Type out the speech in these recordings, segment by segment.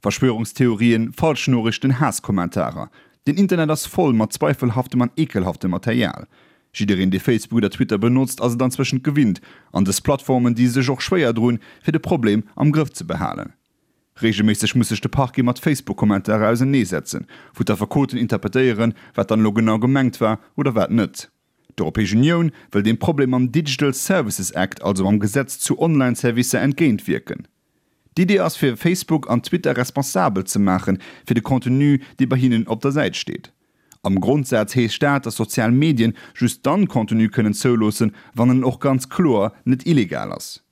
Verschwörungstheorien, Falschnoriichten, Haass-Kommentarer, den Internet ass voll mat zweifelhaftem an ekelhaftem Material. Jiddereen dee Facebook oder Twitter benotzt ass et anzwëschent gewinnt, an dës Plattformen di sech och schwéier drun, fir de Problem am Grëff ze behalen. Reegelméisseg muss sech de Parquet mat Facebook-Kommentarer auserneesetzen, wou d'Affekoten interpretéieren, wat dann elo genau gemengt war oder wat net. D'Europäesch Unioun wëll deem Problem mam Digital Services Act, also mam Gesetz zu Online-Servicer entgéintwierken. D'Idee ass fir Facebook an Twitter responsabel ze maache fir de Contenu dee bei hinnen op der Säit steet. Am Grondsaz heescht dat, datt sozial Medien just dann Contenu kënnen zouloossen, wann en och ganz kloer net illegal ass.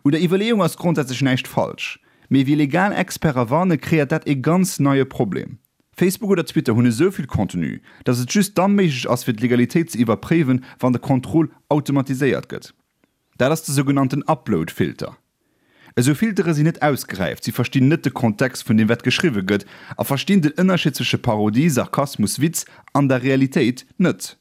Un der Iwwerleeung ass grondsätzlech näischt falsch, mee wéi legal Experte warne kreéiert dat ee ganz neie Problem. Facebook oder Twitter hunn esou vill Contenu, datt et just da méiglech ass fir d'Legalitéit ze iwwerpréiwen, wann de Contrôle automatiséiert gëtt. Dat ass de sougenannten Upload-Filter. Esou Filtere sinn net ausgeräift, si verstinn net de Kontext vun deem wat geschriwwe gëtt a verstinn den Ënnerscheed zwësche Parodie, Sarkasmus, Witz an der Realitéit net.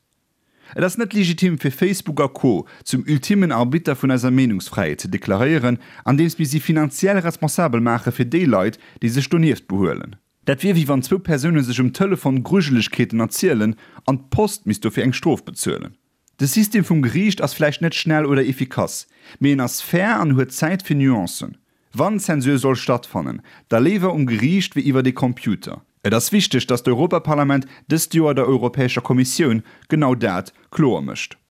Et ass net legitim fir Facebook a Co. Zum ultimmen Arbitter vun eiser Meenungsfräiheet ze deklaréieren, andeems mir si finanziell responsabel maache fir déi Leit, déi sech donieft behuelen. Dat wier wéi wann zwou Persoune sech um Telefon Grujelegkeeten erzielen an d'Post misst dofir eng Strof bezuelen. De System vum Geriicht ass vläicht net schnell oder efficace, mee en ass fair an huet Zäit fir Nuancen. Wann Zensur soll stattfannen, da léiwer um Geriicht wéi iwwert ee Computer. Et ass wichteg, datt d'Europaparlament dëst Joer der Europäescher Kommissioun genau dat kloer mécht.